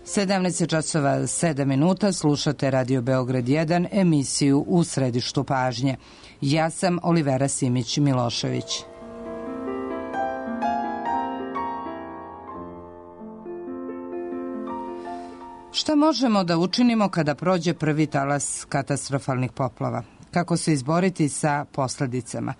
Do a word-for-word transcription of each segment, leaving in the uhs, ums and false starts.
sedamnaest časova sedam minuta, slušate Radio Beograd jedan, emisiju U središtu pažnje. Ja sam Olivera Simić-Milošević. Šta možemo da učinimo kada prođe prvi talas katastrofalnih poplava? Kako se izboriti sa posledicama?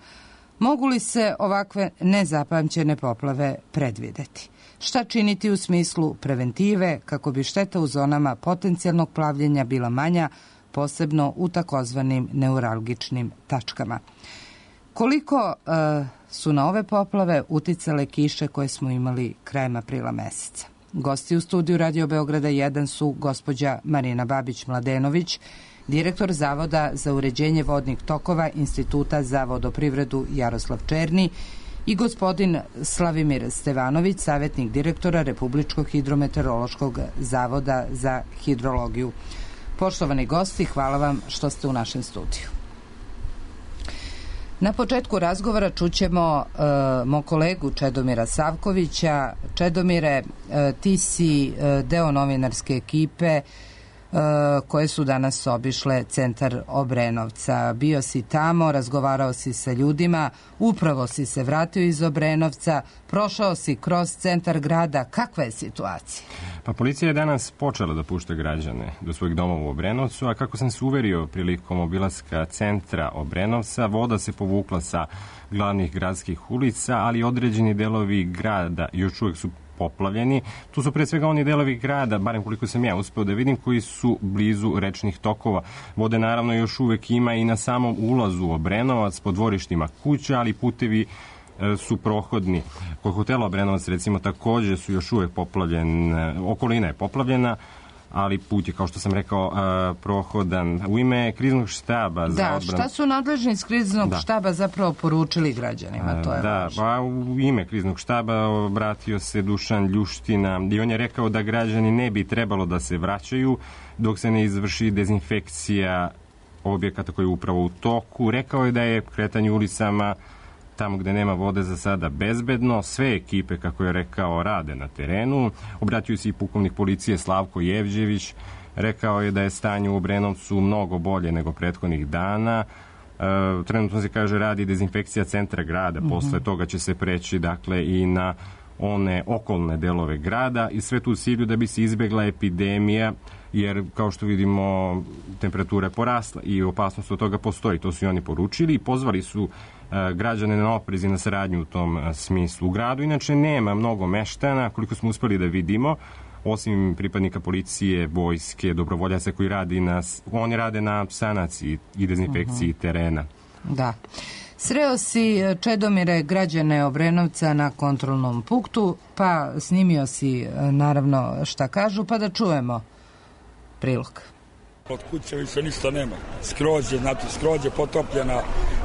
Mogu li se ovakve nezapamćene poplave predvideti? Šta činiti u smislu preventive kako bi šteta u zonama potencijalnog plavljenja bila manja, posebno u takozvanim neuralgičnim tačkama? Koliko e, su na ove poplave uticale kiše koje smo imali krajem aprila meseca? Gosti u studiju Radio Beograda jedan su gospođa Marina Babić-Mladenović, direktor Zavoda za uređenje vodnih tokova Instituta za vodoprivredu Jaroslav Černi, i gospodin Slavimir Stevanović, savjetnik direktora Republičkog hidrometeorološkog zavoda za hidrologiju. Poštovani gosti, hvala vam što ste u našem studiju. Na početku razgovora čućemo uh, mog kolegu Čedomira Savkovića. Čedomire, uh, ti si uh, deo novinarske ekipe uh, koje su danas obišle centar Obrenovca. Bio si tamo, razgovarao si sa ljudima, upravo si se vratio iz Obrenovca, prošao si kroz centar grada. Kakva je situacija? Pa policija je danas počela da pušta građane do svojih domova u Obrenovcu, a kako sam se uverio prilikom obilaska centra Obrenovca, voda se povukla sa glavnih gradskih ulica, ali određeni delovi grada još uvek su poplavljeni. Tu su pre svega oni delovi grada, barem koliko sam ja uspeo da vidim, koji su blizu rečnih tokova. Vode naravno još uvek ima i na samom ulazu u Obrenovac, po dvorištima kuća, ali putevi su prohodni. Kod hotela Obrenovac, recimo, takođe su još uvek poplavljene, okolina je poplavljena, ali put je, kao što sam rekao, prohodan. U ime kriznog štaba za da, odbranu... šta su nadležni iz kriznog da. štaba zapravo poručili građanima? To je da, važno. Pa u ime kriznog štaba obratio se Dušan Ljuština i on je rekao da građani ne bi trebalo da se vraćaju dok se ne izvrši dezinfekcija objekata koji je upravo u toku. Rekao je da je kretanje ulicama tamo gde nema vode za sada bezbedno. Sve ekipe, kako je rekao, rade na terenu. Obratio se i pukovnik policije Slavko Jevđević. Rekao je da je stanje u Obrenovcu mnogo bolje nego prethodnih dana. E, trenutno se, kaže, radi dezinfekcija centra grada. Mm-hmm. Posle toga će se preći, dakle, i na one okolne delove grada i sve tu u cilju da bi se izbegla epidemija, jer, kao što vidimo, temperatura je porasla i opasnost od toga postoji. To su i oni poručili i pozvali su građane na oprez i na saradnju u tom smislu. U gradu inače nema mnogo meštana, koliko smo uspeli da vidimo, osim pripadnika policije, vojske, dobrovoljaca koji radi na, oni rade na sanaciji i dezinfekciji uh-huh. terena. Da. Sreo si, Čedomire, građane Obrenovca na kontrolnom punktu, pa snimio si naravno šta kažu, pa da čujemo prilog. Od kuće više ništa nema. Skroz je, znači skroz je potopljena,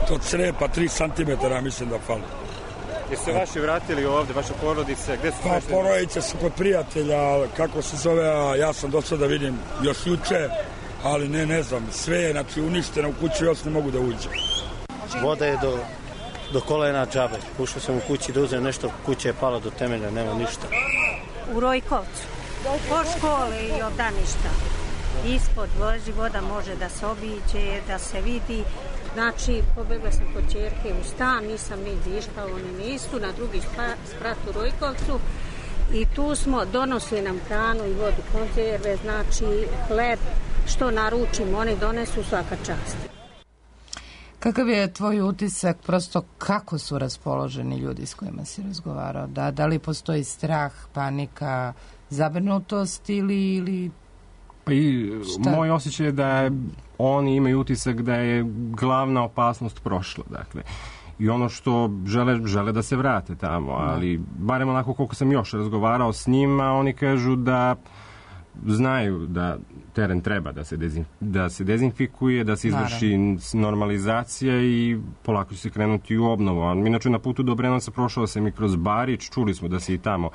to crepa tri centimetra, mislim da fali. Jeste se vaši vratili ovde, vaše porodice? Gde su pa porodice su kod prijatelja, kako se zove, ja sam došao da vidim još juče, ali ne, ne znam, sve je, znači, uništeno u kući, još ne mogu da uđe. Voda je do, do kolena džabe. Ušao sam u kući da uzem nešto, kuća je pala do temelja, nema ništa. U Rojkovcu, po škole i obdaništa. Ispod vozi voda, može da se obiđe, da se vidi. Znači, pobegla sam kod ćerke u stan, nisam ni dišla, oni nisu, na drugi sprat u Rojkovcu. I tu smo, donosili nam hranu i vodu, konzerve, znači hleb, što naručimo, oni donesu, svaka čast. Kakav je tvoj utisak, prosto kako su raspoloženi ljudi s kojima si razgovarao? Da, da li postoji strah, panika, zabrinutost ili... ili... Pa i šta? Moj osjećaj je da oni imaju utisak da je glavna opasnost prošla, dakle. I ono što žele, žele da se vrate tamo, ali barem onako koliko sam još razgovarao s njima, oni kažu da znaju da teren treba da se, dezin, da se dezinfikuje, da se izvrši Naravno. normalizacija i polako će se krenuti u obnovu. Inače, na putu do Obrenovca prošao sam i kroz Barič, čuli smo da se i tamo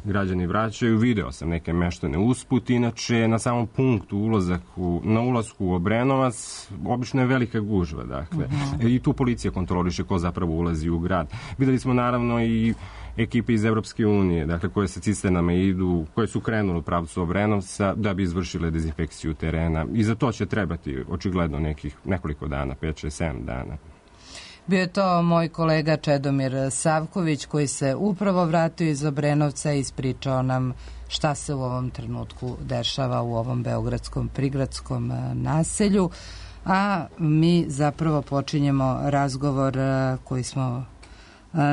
građani vraćaju, video sam neke meštane usput, inače na samom punktu ulazak u, na ulazku u Obrenovac obično je velika gužva, dakle, uh-huh. i tu policija kontroliše ko zapravo ulazi u grad. Videli smo naravno i ekipe iz Evropske unije, dakle koje sa cisternama idu, koje su krenule u pravcu Obrenovca da bi izvršile dezinfekciju terena. I za to će trebati očigledno nekih nekoliko dana, pet, šest, sedam dana. Bio je to moj kolega Čedomir Savković koji se upravo vratio iz Obrenovca i ispričao nam šta se u ovom trenutku dešava u ovom beogradskom prigradskom naselju. A mi zapravo počinjemo razgovor koji smo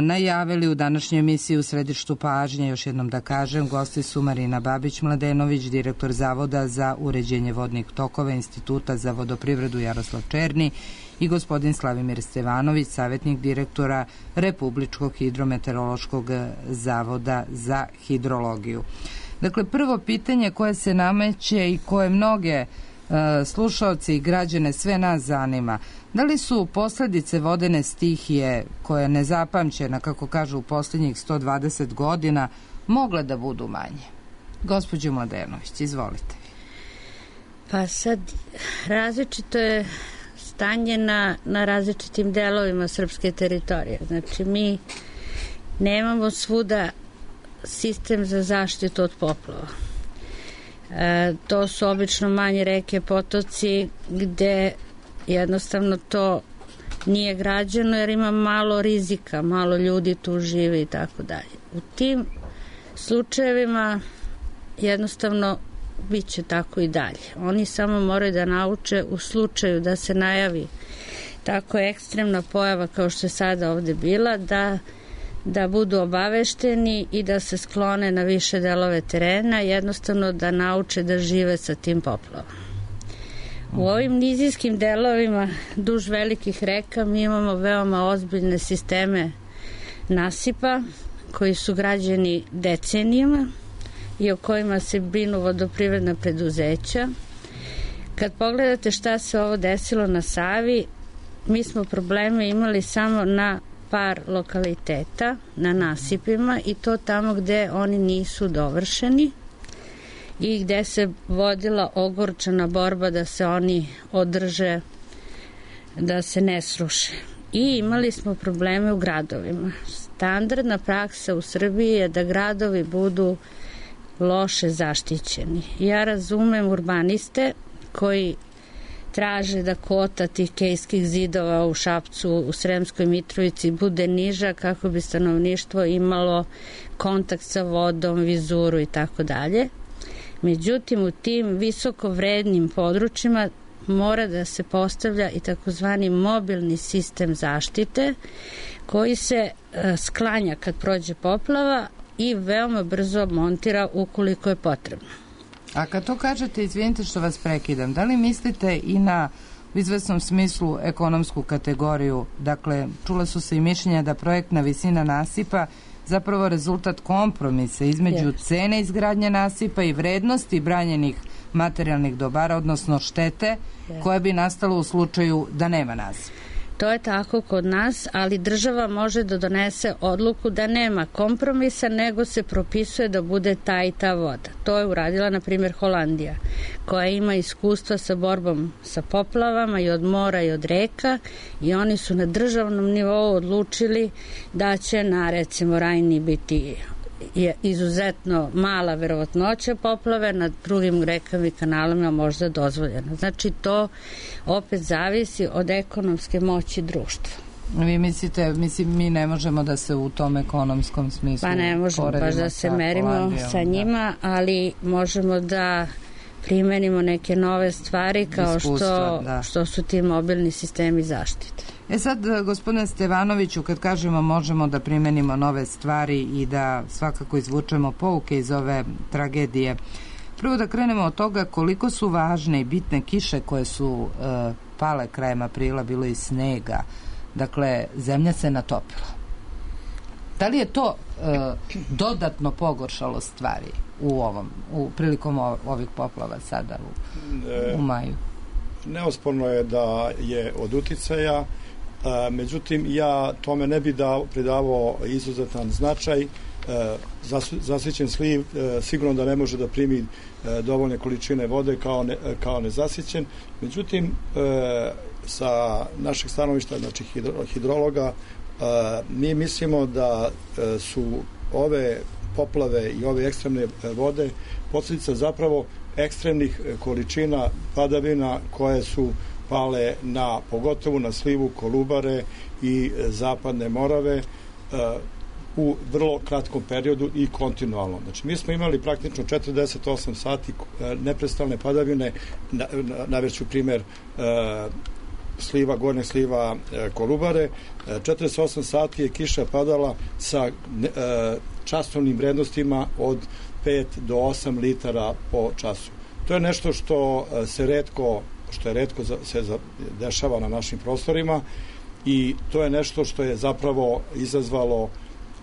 najavili u današnjoj emisiji u središtu pažnje. Još jednom da kažem, gosti su Marina Babić-Mladenović, direktor Zavoda za uređenje vodnih tokova Instituta za vodoprivredu Jaroslav Černi i gospodin Slavimir Stevanović, savjetnik direktora Republičkog hidrometeorološkog zavoda za hidrologiju. Dakle, prvo pitanje koje se nameće i koje mnoge slušaoci i građane sve nas zanima. Da li su posledice vodene stihije, koja je nezapamćena, kako kažu, u posljednjih sto dvadeset godina, mogle da budu manje? Gospođo Mladenović, izvolite. Pa sad, različito je stanje na, na različitim delovima srpske teritorije. Znači, mi nemamo svuda sistem za zaštitu od poplava. E, to su obično manje reke, potoci gde jednostavno to nije građeno jer ima malo rizika, malo ljudi tu živi i tako dalje. U tim slučajevima jednostavno bit će tako i dalje. Oni samo moraju da nauče u slučaju da se najavi tako ekstremna pojava kao što je sada ovde bila, da da budu obavešteni i da se sklone na više delove terena, jednostavno da nauče da žive sa tim poplavom. U ovim nizijskim delovima duž velikih reka mi imamo veoma ozbiljne sisteme nasipa koji su građeni decenijama i o kojima se brinu vodoprivredna preduzeća. Kad pogledate šta se ovo desilo na Savi, mi smo probleme imali samo na par lokaliteta, na nasipima, i to tamo gde oni nisu dovršeni i gde se vodila ogorčana borba da se oni održe, da se ne sruše. I imali smo probleme u gradovima. Standardna praksa u Srbiji je da gradovi budu loše zaštićeni. Ja razumem urbaniste koji traže da kvota tih kejskih zidova u Šapcu, u Sremskoj Mitrovici bude niža kako bi stanovništvo imalo kontakt sa vodom, vizuru i tako dalje. Međutim, u tim visoko vrednim područjima mora da se postavlja i takozvani mobilni sistem zaštite koji se sklanja kad prođe poplava i veoma brzo montira ukoliko je potrebno. A kad to kažete, izvinite što vas prekidam, da li mislite i na u izvesnom smislu ekonomsku kategoriju? Dakle, čula su se i mišljenja da projektna visina nasipa zapravo rezultat kompromisa između yes. cene izgradnje nasipa i vrednosti branjenih materijalnih dobara, odnosno štete yes. koja bi nastala u slučaju da nema nasipa. To je tako kod nas, ali država može da donese odluku da nema kompromisa, nego se propisuje da bude ta i ta voda. To je uradila, na primjer, Holandija, koja ima iskustva sa borbom sa poplavama i od mora i od reka, i oni su na državnom nivou odlučili da će na, recimo, Rajni biti je izuzetno mala verovatnoća poplave, na drugim rekama i kanalima možda dozvoljeno. Znači, to opet zavisi od ekonomske moći društva. Vi mislite, mislim, mi ne možemo da se u tom ekonomskom smislu pa ne možemo baš da se merimo Holandijom, sa njima, da. Ali možemo da primenimo neke nove stvari kao Iskustva, što, da. što su ti mobilni sistemi zaštite. E sad, gospodine Stevanoviću, kad kažemo možemo da primenimo nove stvari i da svakako izvučemo pouke iz ove tragedije, prvo da krenemo od toga koliko su važne i bitne kiše koje su e, pale krajem aprila, bilo i snega. Dakle, zemlja se natopila. Da li je to e, dodatno pogoršalo stvari u ovom, u prilikom ovih poplava sada u, u maju? Neosporno je da je od uticaja, a, međutim ja tome ne bi dao, pridavao izuzetan značaj. Zas, zasićen sliv e, sigurno da ne može da primi e, dovoljne količine vode kao, ne, kao nezasićen. Međutim, e, sa našeg stanovišta, znači hidro, hidrologa, mi mislimo da su ove poplave i ove ekstremne vode posljedica zapravo ekstremnih količina padavina koje su pale na, pogotovo na slivu Kolubare i Zapadne Morave u vrlo kratkom periodu i kontinualno. Znači, mi smo imali praktično četrdeset osam sati neprestalne padavine, navešću primjer sliva, gornjeg sliva Kolubare, četrdeset osam sati je kiša padala sa časovnim vrednostima od pet do osam litara po času. To je nešto što se retko, što je retko se dešava na našim prostorima i to je nešto što je zapravo izazvalo,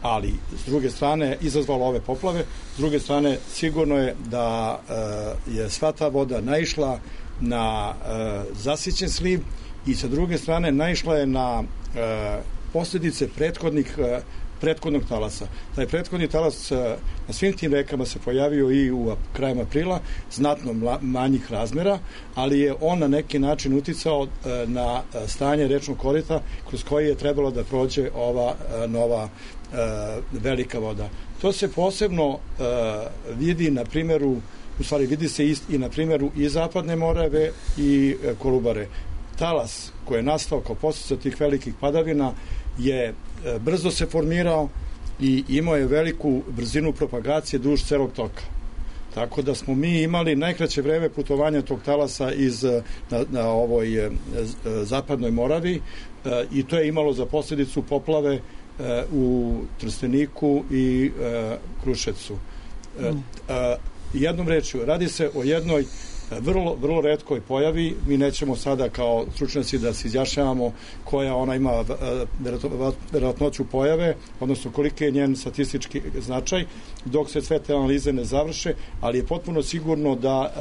ali s druge strane izazvalo ove poplave, s druge strane sigurno je da je sva ta voda naišla na zasićen sliv i sa druge strane naišla je na posljedice prethodnih prethodnog talasa. Taj prethodni talas na svim tim rekama se pojavio i u krajem aprila, znatno manjih razmera, ali je on na neki način uticao na stanje rečnog korita kroz koji je trebalo da prođe ova nova velika voda. To se posebno vidi na primjeru, u stvari vidi se i na primjeru i Zapadne Morave i Kolubare. Talas koji je nastao kao posljedica tih velikih padavina je brzo se formirao i imao je veliku brzinu propagacije duž celog toka. Tako da smo mi imali najkraće vreme putovanja tog talasa iz, na, na ovoj Zapadnoj Moravi i to je imalo za posljedicu poplave u Trsteniku i Kruševcu. Jednom rečju, radi se o jednoj vrlo, vrlo retkoj pojavi. Mi nećemo sada kao stručnjaci da se izjašnjavamo koja ona ima verovatnoću pojave, odnosno koliki je njen statistički značaj, dok se sve te analize ne završe, ali je potpuno sigurno da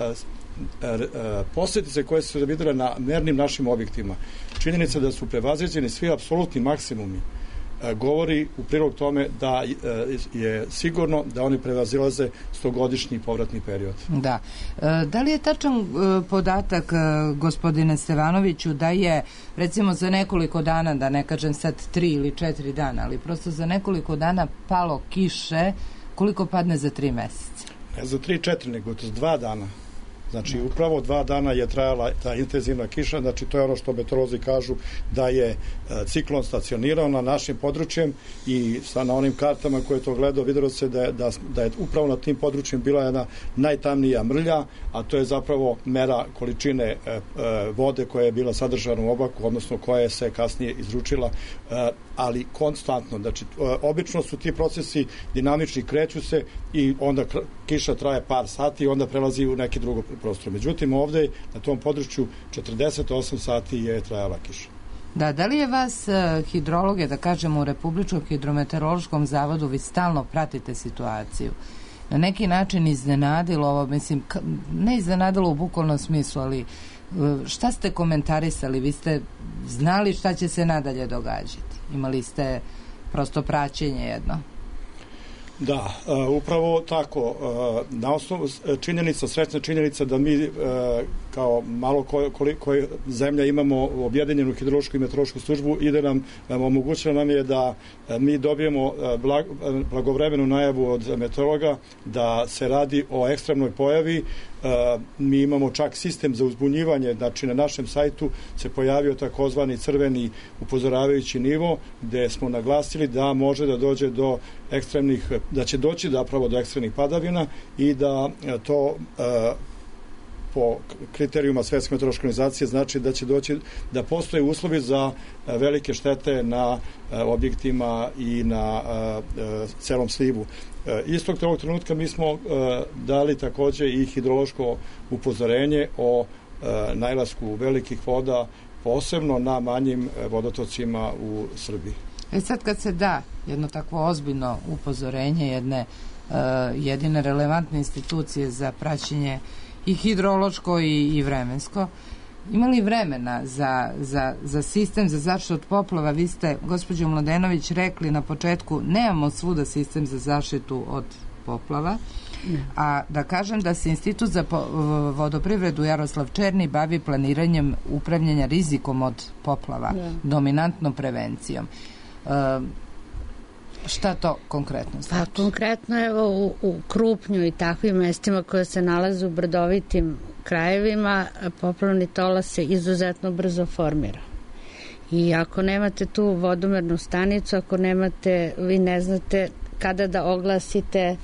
posljedice koje su se vidjele na mernim našim objektima, činjenica da su prevaziđeni svi apsolutni maksimumi, govori u prilog tome da je sigurno da oni prevazilaze stogodišnji povratni period. Da. Da li je tačan podatak, gospodine Stevanoviću, da je recimo za nekoliko dana, da ne kažem sad tri ili četiri dana, ali prosto za nekoliko dana palo kiše, koliko padne za tri meseca? Ne za tri, četiri, nego za dva dana. Znači, upravo dva dana je trajala ta intenzivna kiša, znači to je ono što meteorolozi kažu da je ciklon stacionirao na našim područjem i sa na onim kartama koje je to gledao vidjelo se da je, da, da je upravo na tim područjem bila jedna najtamnija mrlja, a to je zapravo mera količine e, e, vode koja je bila sadržana u oblaku, odnosno koja je se kasnije izručila, e, ali konstantno. Znači, e, obično su ti procesi dinamični, kreću se i onda kiša traje par sati i onda prelazi u neki drugo prostor. Međutim, ovdje na tom području četrdeset osam sati je trajala kiša. Da, da li je vas hidrologe, da kažemo u Republičkom hidrometeorološkom zavodu, vi stalno pratite situaciju, na neki način iznenadilo ovo, mislim, ne iznenadilo u bukvalnom smislu, ali šta ste komentarisali? Vi ste znali šta će se nadalje događati? Imali ste prosto praćenje jedno? Da, upravo tako. Na osnovu činjenica, srećna činjenica da mi kao malo koliko zemlja imamo objedinjenu hidrološku i meteorološku službu i da nam omogućila nam je da mi dobijemo blagovremenu najavu od meteorologa da se radi o ekstremnoj pojavi. Mi imamo čak sistem za uzbunjivanje, znači na našem sajtu se pojavio takozvani crveni upozoravajući nivo gde smo naglasili da može da dođe do ekstremnih, da će doći zapravo do ekstremnih padavina i da to po kriterijuma Svetske meteorološke organizacije znači da će doći, da postoje uslovi za velike štete na objektima i na celom slivu. Istog tog trenutka mi smo dali takođe i hidrološko upozorenje o najlasku velikih voda, posebno na manjim vodotocima u Srbiji. E sad kad se da jedno takvo ozbiljno upozorenje jedne uh, jedine relevantne institucije za praćenje i hidrološko i, i vremensko, imali vremena za, za, za sistem za zaštitu od poplava? Vi ste, gospođo Mladenović, rekli na početku nemamo svuda sistem za zaštitu od poplava, a da kažem da se Institut za vodoprivredu Jaroslav Černi bavi planiranjem upravljanja rizikom od poplava, dominantnom prevencijom. Šta to konkretno znači? Pa konkretno evo u, u Krupnju i takvim mestima koje se nalaze u brdovitim krajevima, poplavni tola se izuzetno brzo formira. I ako nemate tu vodomernu stanicu, ako nemate, vi ne znate kada da oglasite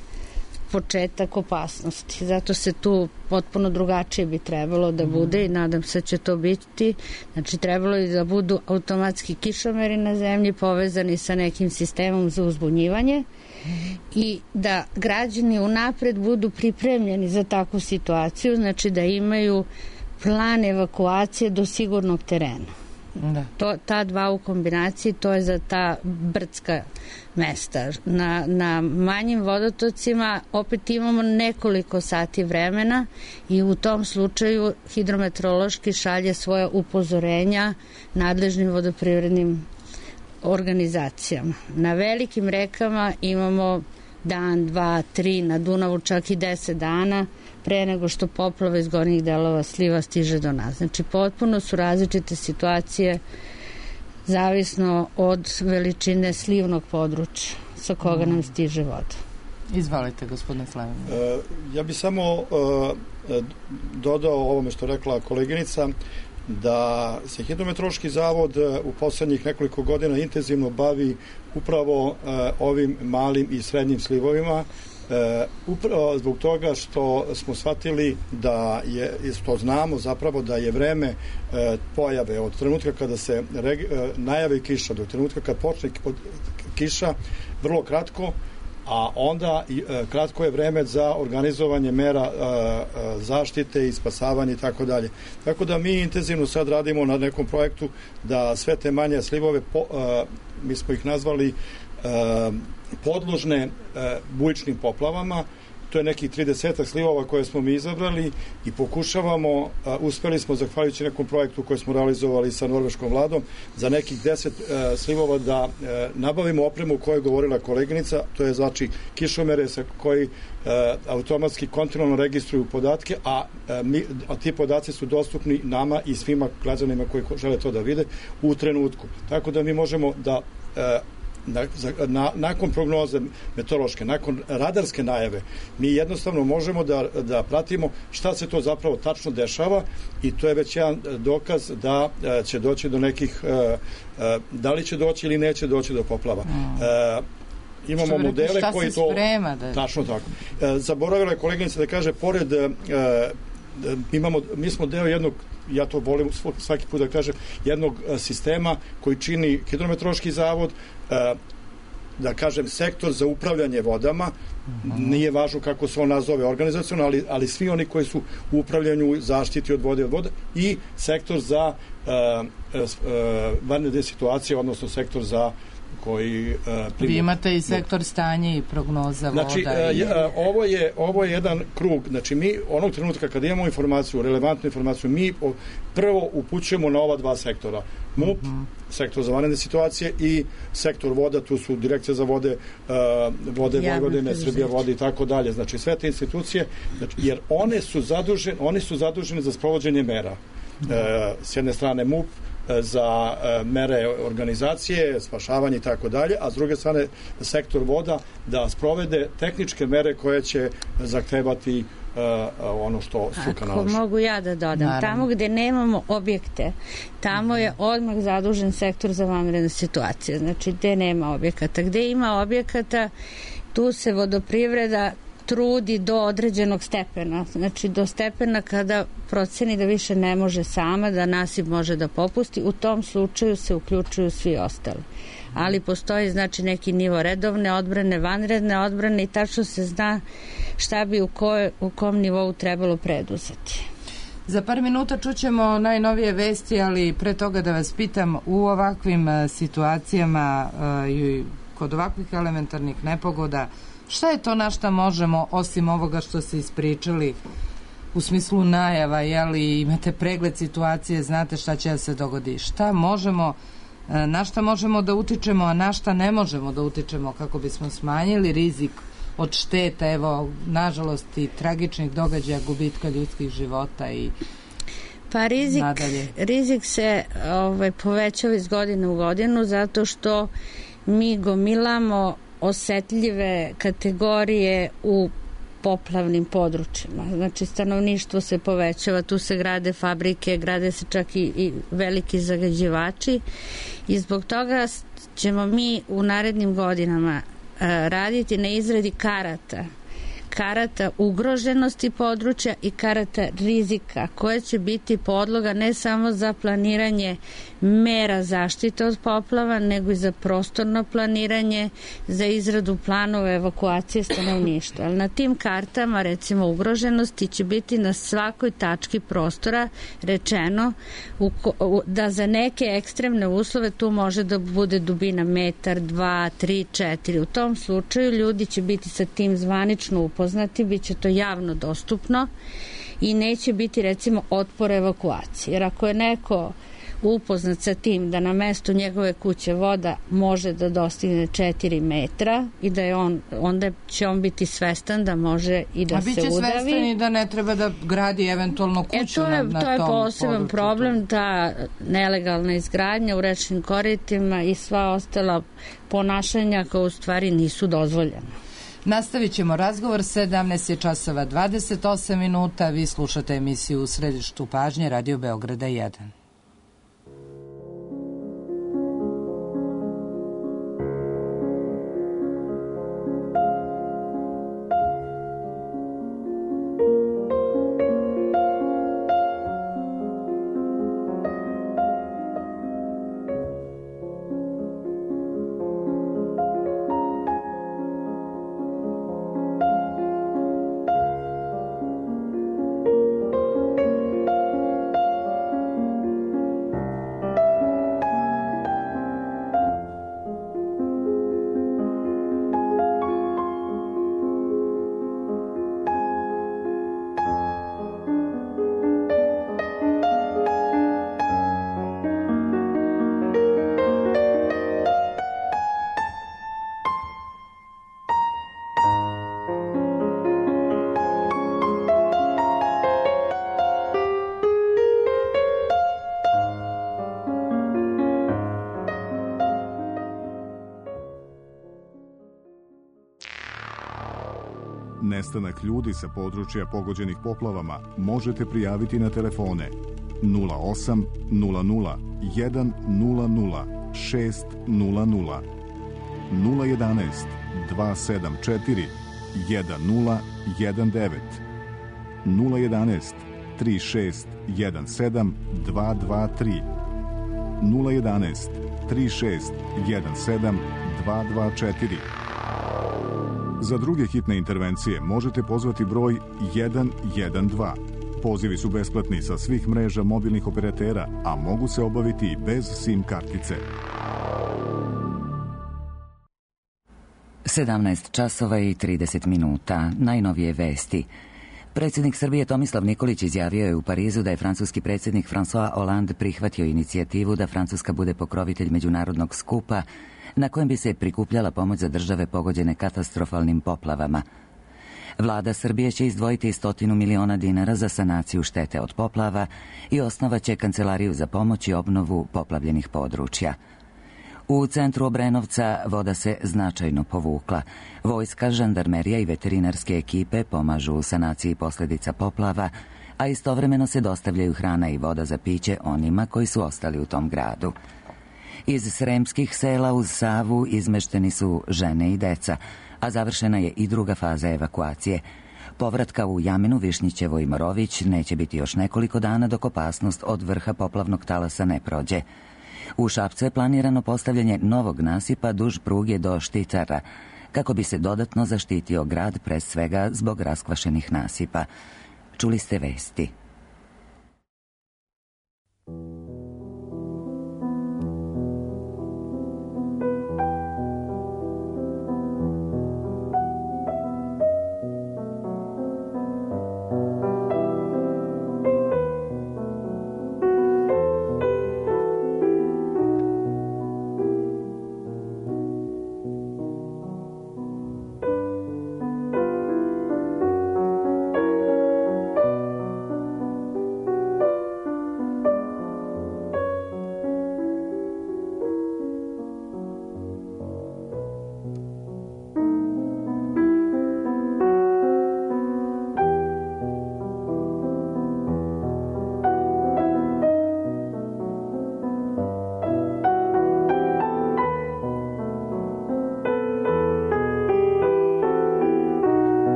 početak opasnosti. Zato se tu potpuno drugačije bi trebalo da bude i nadam se da će to biti. Znači trebalo je da budu automatski kišomeri na zemlji povezani sa nekim sistemom za uzbunjivanje i da građani unapred budu pripremljeni za takvu situaciju, znači da imaju plan evakuacije do sigurnog terena. Da. To, ta dva u kombinaciji, to je za ta brdska mesta. Na, na manjim vodotocima opet imamo nekoliko sati vremena i u tom slučaju hidrometeorološki šalje svoje upozorenja nadležnim vodoprivrednim organizacijama. Na velikim rekama imamo dan, dva, tri, na Dunavu čak i deset dana pre nego što poplava iz gornjih delova sliva stiže do nas. Znači potpuno su različite situacije zavisno od veličine slivnog područja sa koga nam stiže voda. Izvolite, gospodine Slavin. E, ja bih samo e, dodao ovome što rekla koleginica, da se Hidrometeorološki zavod u poslednjih nekoliko godina intenzivno bavi upravo uh, ovim malim i srednjim slivovima, uh, upravo zbog toga što smo shvatili da je, što znamo zapravo da je vreme uh, pojave od trenutka kada se reg, uh, najavi kiša do trenutka kad počne kiša vrlo kratko, a onda e, kratko je vreme za organizovanje mera e, e, zaštite i spasavanje i tako dalje. Tako da mi intenzivno sad radimo na nekom projektu da sve te manje slivove, po, e, mi smo ih nazvali e, podložne e, bujičnim poplavama. To je nekih trideset slivova koje smo mi izabrali i pokušavamo, a, uspeli smo zahvaljujući nekom projektu koji smo realizovali sa norveškom vladom za nekih deset a, slivova da a, nabavimo opremu o kojoj je govorila koleginica, to je znači kišomere sa koji a, automatski kontinualno registruju podatke, a, a, mi, a ti podaci su dostupni nama i svima građanima koji žele to da vide u trenutku. Tako da mi možemo da a, Na, na, nakon prognoze meteorološke, nakon radarske najave, mi jednostavno možemo da, da pratimo šta se to zapravo tačno dešava i to je već jedan dokaz da e, će doći do nekih, e, e, da li će doći ili neće doći do poplava. Mm. E, imamo modele koji to... Sprema, da... Tačno tako. E, zaboravila je koleginica da kaže, pored... E, imamo, mi smo deo jednog, ja to volim svaki put da kažem, jednog sistema koji čini Hidrometeorološki zavod, da kažem sektor za upravljanje vodama, mm-hmm. nije važno kako se on nazove organizacionalno, ali, ali svi oni koji su u upravljanju zaštiti od vode od voda i sektor za uh, uh, vanredne situacije, odnosno sektor za koji uh, primu... Vi imate i sektor stanje i prognoza voda. Znači, i... uh, ovo, je, ovo je jedan krug. Znači, mi onog trenutka kada imamo informaciju, relevantnu informaciju, mi prvo upućujemo na ova dva sektora. MUP, mm-hmm. sektor za vanredne situacije i sektor voda, tu su direkcija za vode, uh, vode Vojvodine, Srbija vode i tako dalje. Znači, sve te institucije, znači, jer one su zadužene, oni su zaduženi za sprovođenje mera. Mm-hmm. Uh, s jedne strane MUP, za e, mere organizacije, spašavanje i tako dalje, a s druge strane sektor voda da sprovede tehničke mere koje će zahtevati e, ono što struka nalaže. Ako mogu ja da dodam, Naravno. Tamo gde nemamo objekte, tamo je odmah zadužen sektor za vanredne situacije, znači gde nema objekata. Gde ima objekata, tu se vodoprivreda trudi do određenog stepena, znači do stepena kada proceni da više ne može sama, da nasip može da popusti, u tom slučaju se uključuju svi ostali. Ali postoji znači neki nivo redovne odbrane, vanredne odbrane i tačno se zna šta bi u, koj, u kom nivou trebalo preduzeti. Za par minuta čućemo najnovije vesti, ali pre toga da vas pitam, u ovakvim situacijama i kod ovakvih elementarnih nepogoda, šta je to na šta možemo, osim ovoga što ste ispričali, u smislu najava, jeli, imate pregled situacije, znate šta će da se dogodi, šta možemo, na šta možemo da utičemo, a na šta ne možemo da utičemo kako bismo smanjili rizik od šteta, evo, nažalost i tragičnih događaja, gubitka ljudskih života i... Pa rizik, nadalje? Rizik se ovaj, povećava iz godine u godinu zato što mi gomilamo osetljive kategorije u poplavnim područjima. Znači, stanovništvo se povećava, tu se grade fabrike, grade se čak i, i veliki zagađivači i zbog toga ćemo mi u narednim godinama a, raditi na izradi karata karata ugroženosti područja i karata rizika koje će biti podloga ne samo za planiranje mera zaštite od poplava, nego i za prostorno planiranje, za izradu planova evakuacije stanovništva. Ali na tim kartama, recimo ugroženosti, će biti na svakoj tački prostora rečeno u ko, u, da za neke ekstremne uslove tu može da bude dubina metar, dva, tri, četiri. U tom slučaju ljudi će biti sa tim zvanično upoznati, bit će to javno dostupno i neće biti recimo otpor evakuacije. Jer ako je neko upoznat sa tim da na mestu njegove kuće voda može da dostigne četiri metra i da je on, onda će on biti svestan da može i da se udavi. A biće svestan i da ne treba da gradi eventualno kuću e, to je, na, na to je tom poseban području. problem, ta nelegalna izgradnja u rečnim koritima i sva ostala ponašanja koja u stvari nisu dozvoljena. Nastavit ćemo razgovor, sedamnaest je časova dvadeset osam minuta, vi slušate emisiju U središtu pažnje Radio Beograda jedan. Nestanak ljudi sa područja pogođenih poplavama možete prijaviti na telefone nula osam nula nula jedan nula nula šest nula nula, nula jedanaest dva sedam četiri jedan nula jedan devet, nula jedanaest tri šest jedan sedam dva dva tri, nula jedanaest tri šest jedan sedam dva dva četiri. Za druge hitne intervencije možete pozvati broj jedan jedan dva. Pozivi su besplatni sa svih mreža mobilnih operatera, a mogu se obaviti i bez SIM kartice. sedamnaest časova i trideset minuta. Najnovije vesti. Predsjednik Srbije Tomislav Nikolić izjavio je u Parizu da je francuski predsjednik François Hollande prihvatio inicijativu da Francuska bude pokrovitelj međunarodnog skupa na kojem bi se prikupljala pomoć za države pogođene katastrofalnim poplavama. Vlada Srbije će izdvojiti stotinu miliona dinara za sanaciju štete od poplava i osnovaće kancelariju za pomoć i obnovu poplavljenih područja. U centru Obrenovca voda se značajno povukla. Vojska, žandarmerija i veterinarske ekipe pomažu u sanaciji posljedica poplava, a istovremeno se dostavljaju hrana i voda za piće onima koji su ostali u tom gradu. Iz sremskih sela uz Savu izmešteni su žene i deca, a završena je i druga faza evakuacije. Povratka u Jaminu, Višnjićevo i Morović neće biti još nekoliko dana dok opasnost od vrha poplavnog talasa ne prođe. U Šapcu je planirano postavljanje novog nasipa duž pruge do Šticara, kako bi se dodatno zaštitio grad, pre svega zbog raskvašenih nasipa. Čuli ste vesti.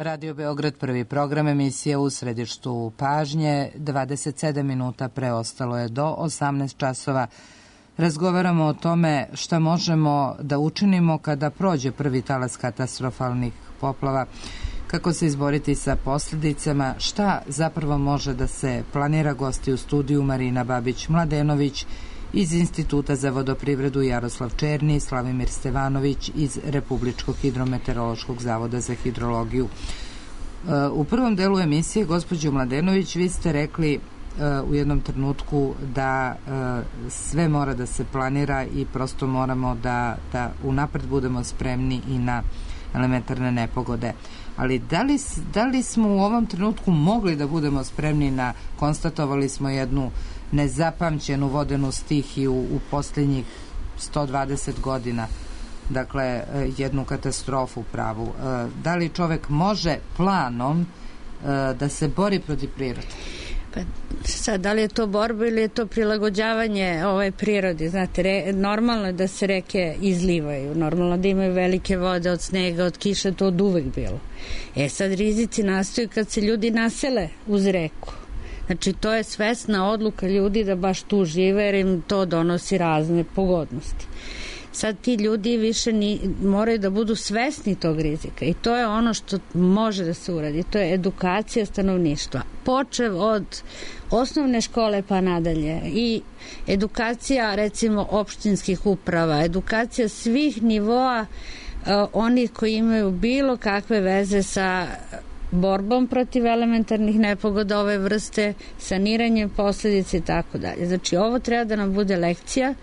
Radio Beograd, prvi program, emisija u središtu pažnje, dvadeset sedam minuta preostalo je do osamnaest časova. Razgovaramo o tome šta možemo da učinimo kada prođe prvi talas katastrofalnih poplava, kako se izboriti sa posljedicama, šta zapravo može da se planira. Gosti u studiju Marina Babić-Mladenović iz Instituta za vodoprivredu, Jaroslav Černi, Slavimir Stevanović iz Republičkog hidrometeorološkog zavoda za hidrologiju. U prvom delu emisije, gospođo Mladenović, vi ste rekli u jednom trenutku da sve mora da se planira i prosto moramo da, da unapred budemo spremni i na elementarne nepogode. Ali da li, da li smo u ovom trenutku mogli da budemo spremni na, konstatovali smo jednu nezapamćenu vodenu stihiju u posljednjih sto dvadeset godina, dakle jednu katastrofu pravu. Da li čovek može planom da se bori protiv prirode? Pa sad, da li je to borba ili je to prilagođavanje ovaj prirodi? Znate, re, normalno je da se reke izlivaju, normalno da imaju velike vode od snega, od kiše, to od uvek bilo. E sad, rizici nastaju kad se ljudi nasele uz reku. Znači, to je svesna odluka ljudi da baš tu žive, jer im to donosi razne pogodnosti. Sad ti ljudi više ni, moraju da budu svesni tog rizika i to je ono što može da se uradi. To je edukacija stanovništva. Počev od osnovne škole pa nadalje i edukacija recimo opštinskih uprava, edukacija svih nivoa uh, onih koji imaju bilo kakve veze sa borbom protiv elementarnih nepogoda ove vrste, saniranjem posljedica i tako dalje. Znači, ovo treba da nam bude lekcija,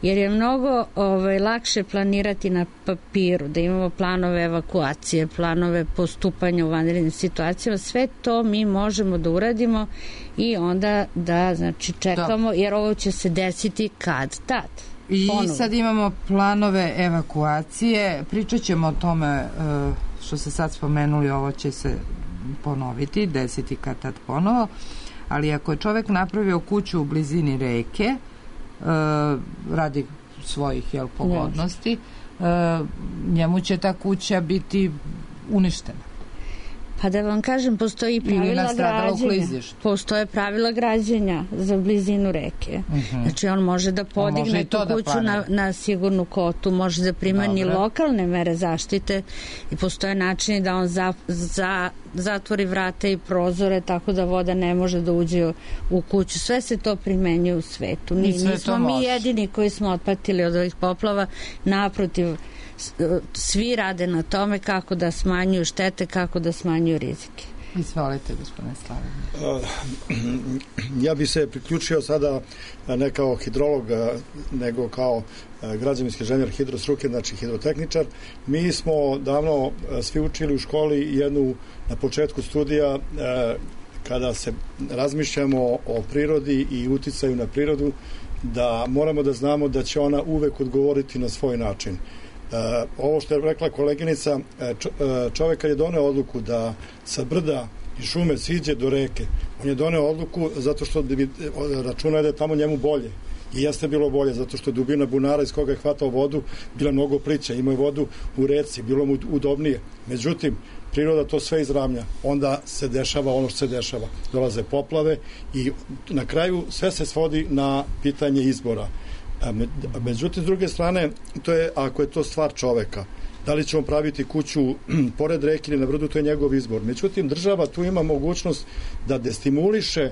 jer je mnogo ovaj, lakše planirati na papiru, da imamo planove evakuacije, planove postupanja u vanrednim situacijama. Sve to mi možemo da uradimo i onda da, znači, čekamo, jer ovo će se desiti kad tad. I Ponovo. Sad imamo planove evakuacije. Pričat ćemo o tome što se sad spomenuli, ovo će se ponoviti, desiti kad tad ponovo, ali ako je čovek napravio kuću u blizini reke e, radi svojih jel, pogodnosti, e, njemu će ta kuća biti uništena. Pa da vam kažem, postoji pravila građenja. Postoje pravila građenja za blizinu reke. Uh-huh. Znači, on može da podigne može tu kuću da na, na sigurnu kotu, može da primani Dobre. lokalne mere zaštite i postoje načini da on za, za, zatvori vrata i prozore tako da voda ne može da uđe u kuću. Sve se to primenjuje u svetu. Ni, nismo mi jedini koji smo otpatili od ovih poplava, naprotiv, svi rade na tome kako da smanjuju štete, kako da smanjuju rizike. Izvolite, gospodine Slavimir. Ja bi se priključio sada ne kao hidrolog, nego kao građevinski inženjer hidrostruke, znači hidrotehničar. Mi smo davno svi učili u školi jednu, na početku studija, kada se razmišljamo o prirodi i uticaju na prirodu, da moramo da znamo da će ona uvek odgovoriti na svoj način. Uh, ovo što je rekla koleginica, čovjek kad je doneo odluku da sa brda i šume siđe do reke, on je doneo odluku zato što bi računao da je tamo njemu bolje. I jeste bilo bolje, zato što je dubina bunara iz koga je hvatao vodu bila mnogo plića, imao je vodu u reci, bilo mu udobnije. Međutim, priroda to sve izravnja, onda se dešava ono što se dešava. Dolaze poplave i na kraju sve se svodi na pitanje izbora. Međutim, s druge strane, to je, ako je to stvar čoveka, da li će on praviti kuću pored reke ili na brdu, to je njegov izbor. Međutim, država tu ima mogućnost da destimuliše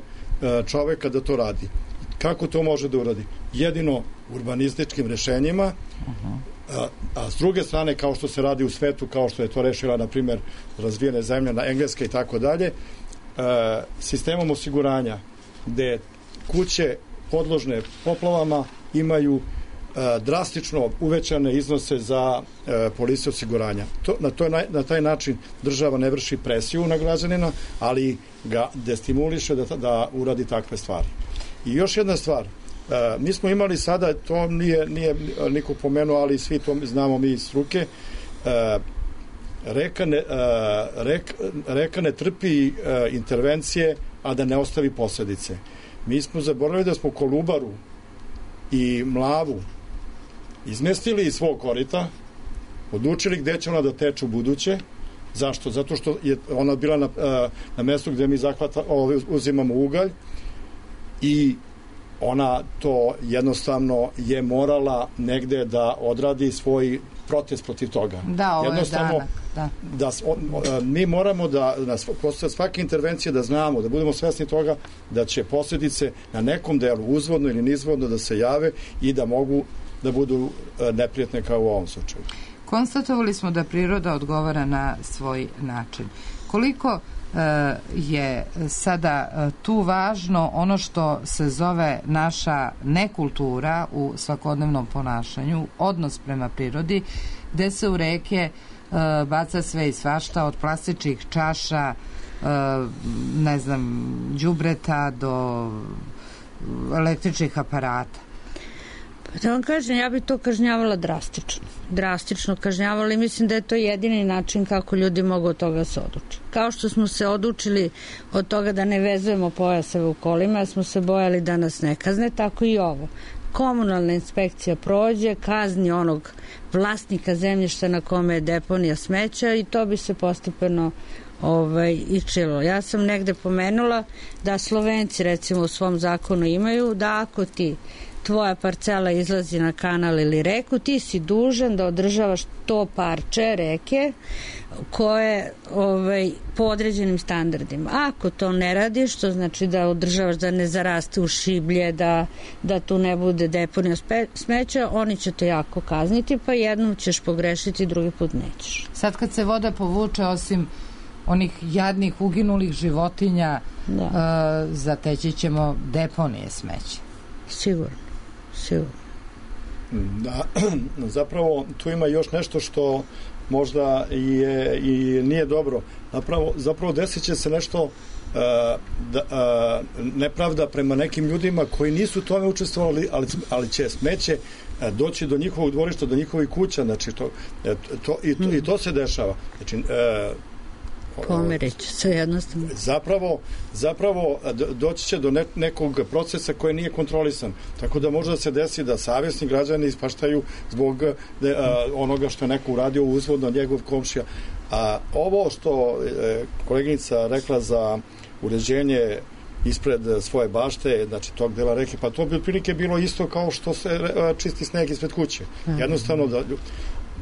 čoveka da to radi. Kako to može da uradi? Jedino urbanističkim rešenjima, a, a s druge strane, kao što se radi u svetu, kao što je to rešila, na primjer, razvijene zemlje na Engleske i tako dalje, sistemom osiguranja, gde kuće podložne poplavama imaju e, drastično uvećane iznose za e, polise osiguranja. To, na, to, na taj način država ne vrši presiju na građanina, ali ga destimuliše da, da uradi takve stvari. I još jedna stvar, e, mi smo imali sada, to nije, nije niko pomenuo, ali svi to znamo mi iz struke, e, reka, ne, e, rek, reka ne trpi e, intervencije, a da ne ostavi posledice. Mi smo zaboravili da smo Kolubaru i Mlavu izmestili iz svog korita, odlučili gde će ona da teče u buduće Zašto? Zato što je ona bila na, na mjestu gdje mi zahvata, uzimamo ugalj i ona to jednostavno je morala negde da odradi svoj protest protiv toga. Da, ovo je danak. Da. Da, mi moramo da na svake intervencije da znamo, da budemo svesni toga da će posljedice na nekom delu uzvodno ili nizvodno da se jave i da mogu da budu neprijatne kao u ovom slučaju. Konstatovali smo da priroda odgovara na svoj način. Koliko je sada tu važno ono što se zove naša nekultura u svakodnevnom ponašanju, odnos prema prirodi, gde se u reke baca sve i svašta, od plastičnih čaša, ne znam, đubreta do električnih aparata. Da vam kažem, ja bih to kažnjavala drastično. Drastično kažnjavala i mislim da je to jedini način kako ljudi mogu od toga se odući. Kao što smo se odučili od toga da ne vezujemo pojaseve u kolima, jer smo se bojali da nas ne kazne, tako i ovo. Komunalna inspekcija prođe, kazni onog vlasnika zemljišta na kome je deponija smeća i to bi se postepeno ovaj, i čilo. Ja sam negde pomenula da Slovenci recimo u svom zakonu imaju da ako ti tvoja parcela izlazi na kanal ili reku, ti si dužan da održavaš to parče reke koje ovaj, po određenim standardima. Ako to ne radiš, to znači da održavaš da ne zaraste u šiblje, da, da tu ne bude deponija smeća, oni će te jako kazniti, pa jednom ćeš pogrešiti, drugi put nećeš. Sad kad se voda povuče, osim onih jadnih uginulih životinja, da. uh, zateći ćemo deponije smeća. Sigurno. Sigurno. Da, zapravo tu ima još nešto što možda je i nije dobro. Zapravo, zapravo desit će se nešto uh, da, uh, nepravda prema nekim ljudima koji nisu u tome učestvovali, ali, ali će smeće uh, doći do njihovog dvorišta, do njihovih kuća, znači to, to, i, to, i to se dešava. Znači, uh, Pomerit će se jednostavno. Zapravo, zapravo doći će do ne, nekog procesa koji nije kontrolisan. Tako da može da se desi da savjesni građani ispaštaju zbog de, a, onoga što je neko uradio uzvodno njegov komšija. A ovo što je koleginica rekla za uređenje ispred svoje bašte, znači tog dela reke, pa to bi otprilike bilo isto kao što se čisti sneg ispred kuće. Jednostavno da...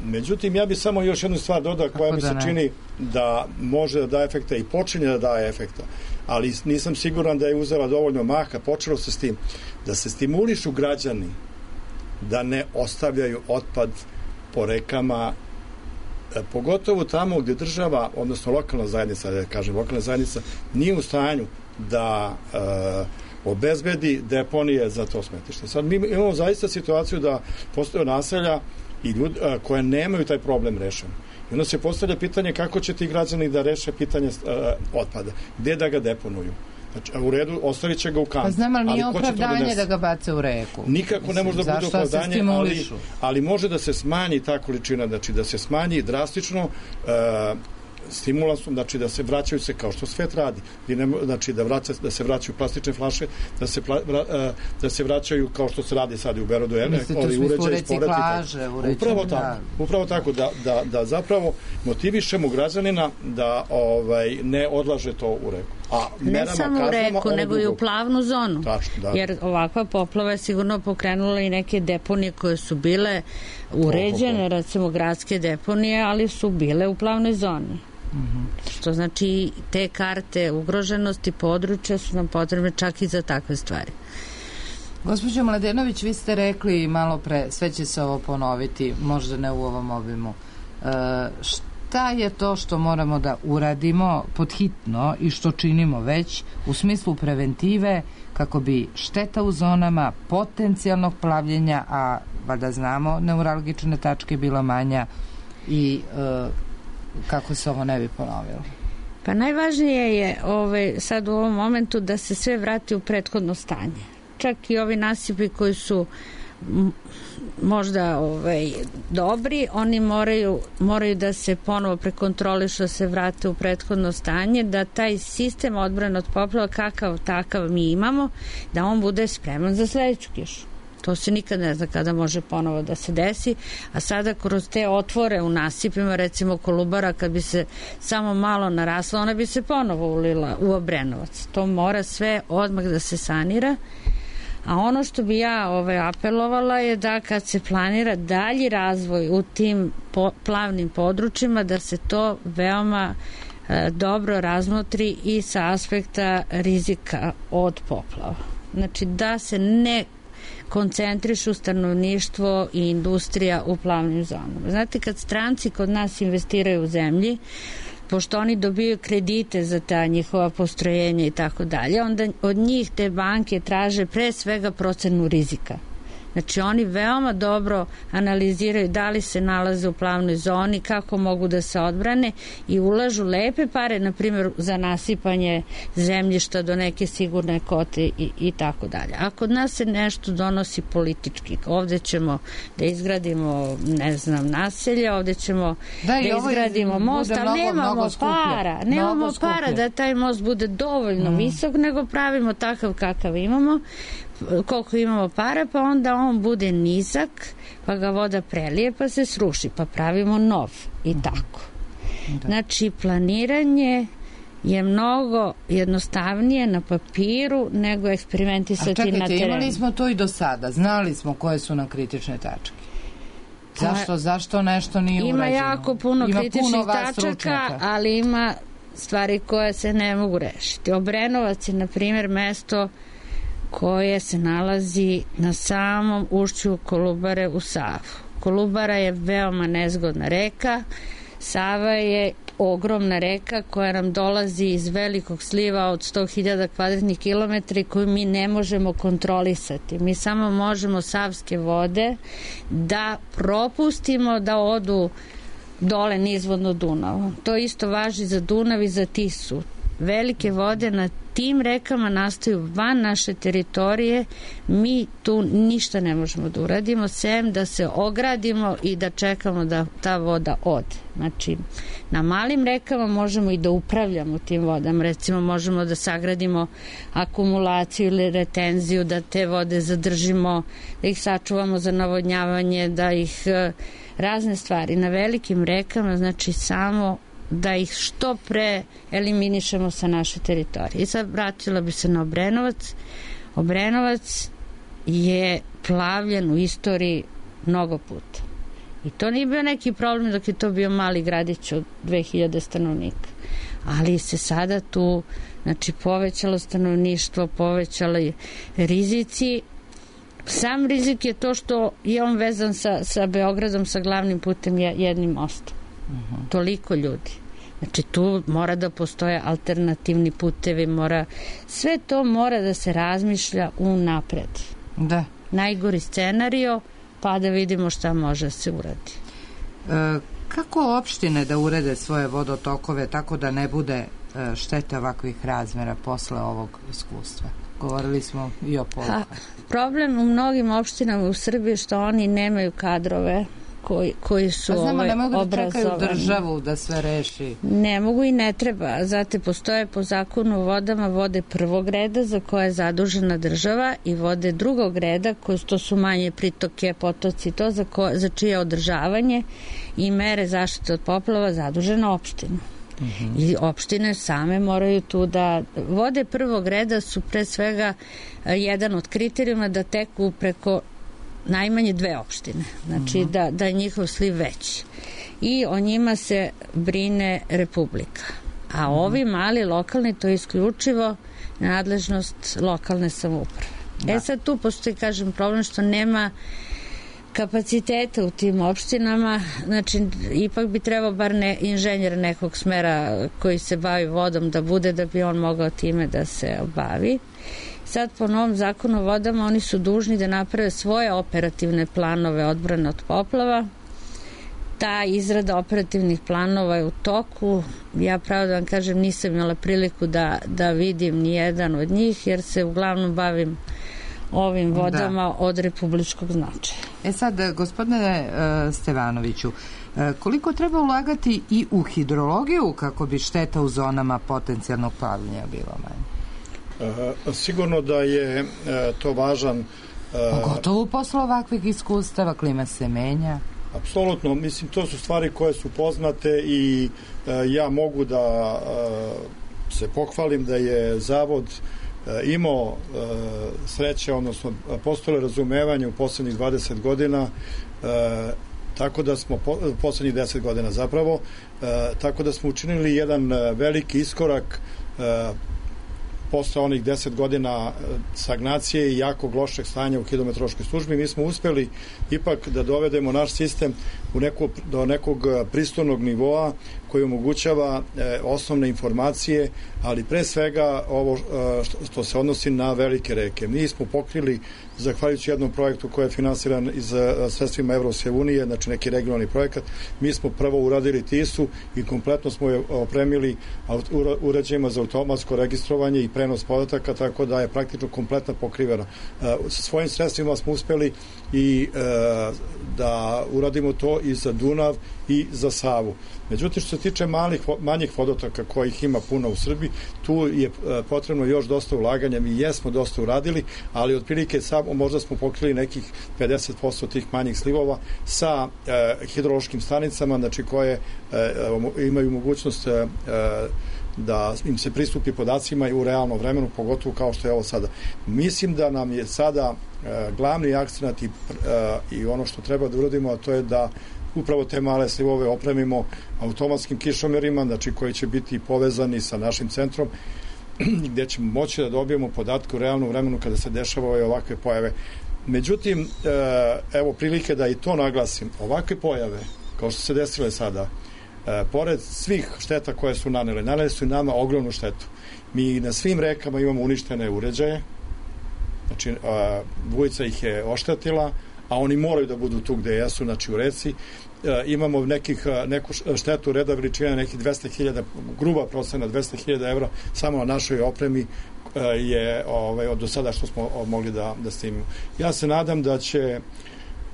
Međutim, ja bih samo još jednu stvar dodao koja mi se čini da može da daje efekta i počinje da daje efekta, ali nisam siguran da je uzela dovoljno maha. Počelo se s tim da se stimulišu građani da ne ostavljaju otpad po rekama, pogotovo tamo gdje država, odnosno lokalna zajednica, da kažem, lokalna zajednica nije u stanju da e, obezbedi deponije za to smetlište. Sad mi imamo zaista situaciju da postoje naselja i ljudi a, koje nemaju taj problem rešen. I onda se postavlja pitanje kako će ti građani da reše pitanje a, otpada. Gde da ga deponuju? Znači, u redu, ostavit će ga u kantu. Pa znam, ali nije ali opravdanje da, da ga bace u reku. Nikako Mislim, ne može da bude opravdanje, ali, ali može da se smanji ta količina, znači da se smanji drastično a, stimulansom, znači da se vraćaju se kao što svet radi, znači da, vraća, da se vraćaju plastične flaše, da se, pla, da se vraćaju kao što se radi sad u Berodu, ovi uređaji iz plaže, upravo tako, da. upravo tako da, da, da zapravo motivišemo građanina da ovaj, ne odlaže to u reku. A ne samo u reku, nego i u plavnu zonu. Tačno, da. Jer ovakva poplava je sigurno pokrenula i neke deponije koje su bile uređene, recimo gradske deponije, ali su bile u plavnoj zoni. Mm-hmm. Što znači te karte ugroženosti područja su nam potrebne čak i za takve stvari. Gospođo Mladenović, vi ste rekli malo pre, sve će se ovo ponoviti, možda ne u ovom obimu. E, šta je to što moramo da uradimo podhitno i što činimo već u smislu preventive kako bi šteta u zonama potencijalnog plavljenja, a valjda znamo neuralgične tačke bila manja i e, kako se ovo ne bi ponovilo? Pa najvažnije je ovaj, sad u ovom momentu da se sve vrati u prethodno stanje. Čak i ovi nasipi koji su m, možda ovaj, dobri, oni moraju, moraju da se ponovo prekontrolišu, da se vrate u prethodno stanje, da taj sistem odbrane od poplava kakav takav mi imamo, da on bude spreman za sledeću kišu. To se nikad ne zna kada može ponovo da se desi, a sada kroz te otvore u nasipima, recimo Kolubara, kad bi se samo malo narasla, ona bi se ponovo ulila u Obrenovac. To mora sve odmah da se sanira. A ono što bi ja ovaj, apelovala je da kad se planira dalji razvoj u tim po, plavnim područjima, da se to veoma e, dobro razmotri i sa aspekta rizika od poplava. Znači da se ne koncentrišu stanovništvo i industrija u plavnim zonama. Znate, kad stranci kod nas investiraju u zemlji, pošto oni dobiju kredite za ta njihova postrojenja i tako dalje, onda od njih te banke traže pre svega procenu rizika. Znači oni veoma dobro analiziraju da li se nalaze u plavnoj zoni, kako mogu da se odbrane i ulažu lepe pare, na primjer za nasipanje zemljišta do neke sigurne kote i, i tako dalje. A kod nas se nešto donosi politički. Ovde ćemo da izgradimo, ne znam, naselje, ovde ćemo da, da izgradimo most, ali mnogo, nemamo mnogo para. Nemamo mnogo para da taj most bude dovoljno mm. visok, nego pravimo takav kakav imamo, koliko imamo para, pa onda on bude nizak, pa ga voda prelije, pa se sruši, pa pravimo nov i tako. Da. Znači, planiranje je mnogo jednostavnije na papiru nego eksperimentisati na terenu. A čekajte, imali smo to i do sada, znali smo koje su nam kritične tačke. Zašto, zašto nešto nije ima urađeno? Ima jako puno ima kritičnih puno tačaka, stručnjaka. Ali ima stvari koje se ne mogu rešiti. Obrenovac je, na primjer, mesto koje se nalazi na samom ušću Kolubare u Savu. Kolubara je veoma nezgodna reka, Sava je ogromna reka koja nam dolazi iz velikog sliva od sto hiljada kvadratnih kilometara koju mi ne možemo kontrolisati. Mi samo možemo savske vode da propustimo da odu dole nizvodno Dunava. To isto važi za Dunav i za Tisu. Velike vode na tim rekama nastaju van naše teritorije, mi tu ništa ne možemo da uradimo, sem da se ogradimo i da čekamo da ta voda ode. Znači, na malim rekama možemo i da upravljamo tim vodama, recimo možemo da sagradimo akumulaciju ili retenziju, da te vode zadržimo, da ih sačuvamo za navodnjavanje, da ih razne stvari. Na velikim rekama, znači samo da ih što pre eliminišemo sa naše teritorije. I sad vratila bi se na Obrenovac. Obrenovac je plavljen u istoriji mnogo puta. I to nije bio neki problem dok je to bio mali gradić od dve hiljade stanovnika. Ali se sada tu, znači, povećalo stanovništvo, povećali rizici. Sam rizik je to što je on vezan sa, sa Beogradom, sa glavnim putem jednim mostom. Uh-huh. Toliko ljudi. Znači tu mora da postoje alternativni putevi, mora, sve to mora da se razmišlja unapred. Da. Najgori scenario, pa da vidimo šta može se uradi. E, kako opštine da urede svoje vodotokove tako da ne bude e, štete ovakvih razmera posle ovog iskustva? Govorili smo i o polukama. Problem u mnogim opštinama u Srbiji što oni nemaju kadrove koji, koji su pa znamo, ovaj, ne mogu da obrazovani. Čekaju državu da sve reši. Ne mogu i ne treba. Znate, postoje po zakonu o vodama vode prvog reda za koje je zadužena država i vode drugog reda koje to su manje pritoke, potoci, to za, ko, za čije održavanje i mere zaštite od poplava zadužena opština. Mm-hmm. I opštine same moraju tu da... Vode prvog reda su pre svega jedan od kriterijuma da teku preko najmanje dve opštine. Znači mm-hmm. da, da je njihov sliv veći. I o njima se brine Republika. A mm-hmm. ovi mali lokalni, to je isključivo nadležnost lokalne samouprave. Da. E sad tu postoji, kažem, problem što nema kapaciteta u tim opštinama, znači ipak bi trebao bar ne, inženjer nekog smera koji se bavi vodom da bude, da bi on mogao time da se bavi. Sad po novom zakonu o vodama oni su dužni da naprave svoje operativne planove odbrane od poplava. Ta izrada operativnih planova je u toku. Ja pravo da vam kažem, nisam imala priliku da, da vidim ni jedan od njih, jer se uglavnom bavim ovim vodama da. Od republičkog značaja. E sad, gospodine uh, Stevanoviću, uh, koliko treba ulagati i u hidrologiju kako bi šteta u zonama potencijalnog plavljenja bila manja? Uh, sigurno da je uh, to važan uh, Pogotovo posle ovakvih iskustava, klima se menja. Apsolutno, mislim, to su stvari koje su poznate i e, ja mogu da e, se pohvalim da je Zavod e, imao e, sreće, odnosno postojalo razumevanje u poslednjih dvadeset godina, e, tako da smo, po, poslednjih deset godina zapravo, e, tako da smo učinili jedan veliki iskorak e, posle onih deset godina stagnacije i jakog lošeg stanja u hidrometeorološkoj službi. Mi smo uspeli ipak da dovedemo naš sistem u neko, do nekog pristojnog nivoa koji omogućava e, osnovne informacije, ali pre svega ovo e, što, što se odnosi na velike reke. Mi smo pokrili, zahvaljujući jednom projektu koji je finansiran iz a, sredstvima Evropske unije, znači neki regionalni projekat, mi smo prvo uradili Tisu i kompletno smo je opremili uređajima za automatsko registrovanje i prenos podataka, tako da je praktično kompletno pokrivena. E, sa svojim sredstvima smo uspeli i e, da uradimo to i za Dunav i za Savu. Međutim, što se tiče malih, manjih vodotoka kojih ima puno u Srbiji, tu je potrebno još dosta ulaganja. Mi jesmo dosta uradili, ali otprilike samo možda smo pokrili nekih pedeset posto tih manjih slivova sa e, hidrološkim stanicama, znači koje e, imaju mogućnost e, da im se pristupi podacima i u realnom vremenu, pogotovo kao što je ovo sada. Mislim da nam je sada e, glavni akcenat i, e, i ono što treba da uradimo, a to je da upravo te male slivove opremimo automatskim kišomerima, znači koji će biti povezani sa našim centrom, gdje ćemo moći da dobijemo podatke u realnom vremenu kada se dešavaju ovakve pojave. Međutim, evo prilike da i to naglasim, ovakve pojave, kao što se desile sada, pored svih šteta koje su nanele, nanele su i nama ogromnu štetu. Mi na svim rekama imamo uništene uređaje, znači Vujica ih je oštetila, a oni moraju da budu tu gde jesu, znači u reci. E, imamo nekih, neku štetu reda veličine nekih dvesta hiljada, gruba procena dvesta hiljada evra samo na našoj opremi e, je ovaj, od do sada što smo mogli da, da snimimo. Ja se nadam da će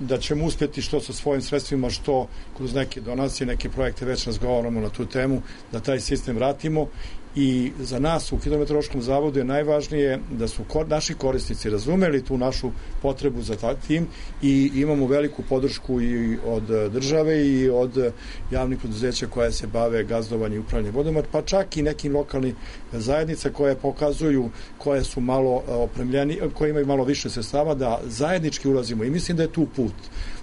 da ćemo uspjeti što sa svojim sredstvima, što kroz neke donacije, neke projekte, već razgovaramo na tu temu, da taj sistem vratimo. I za nas u Hidrometeorološkom zavodu je najvažnije da su kor, naši korisnici razumeli tu našu potrebu za tim i imamo veliku podršku i od države i od javnih preduzeća koja se bave gazdovanjem i upravljanjem vodama, pa čak i nekim lokalnim zajednica koje pokazuju, koje su malo opremljeni, koje imaju malo više sredstava, da zajednički ulazimo i mislim da je tu put.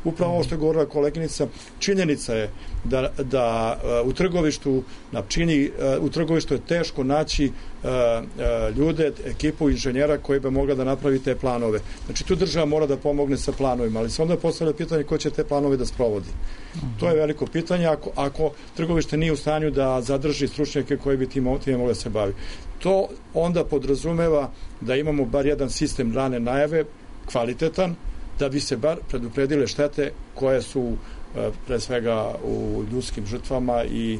Upravo ovo što je govorila koleginica, činjenica je da, da u Trgovištu na čini, u Trgovištu je teško naći uh, uh, ljude, ekipu inženjera koji bi mogla da napravi te planove. Znači tu država mora da pomogne sa planovima, ali se onda postavlja pitanje ko će te planove da sprovodi. Uh-huh. To je veliko pitanje ako, ako Trgovište nije u stanju da zadrži stručnjake koji bi tim, tim mogli da se bavi. To onda podrazumeva da imamo bar jedan sistem rane najave, kvalitetan, da bi se bar predupredile štete koje su uh, pre svega u ljudskim žrtvama i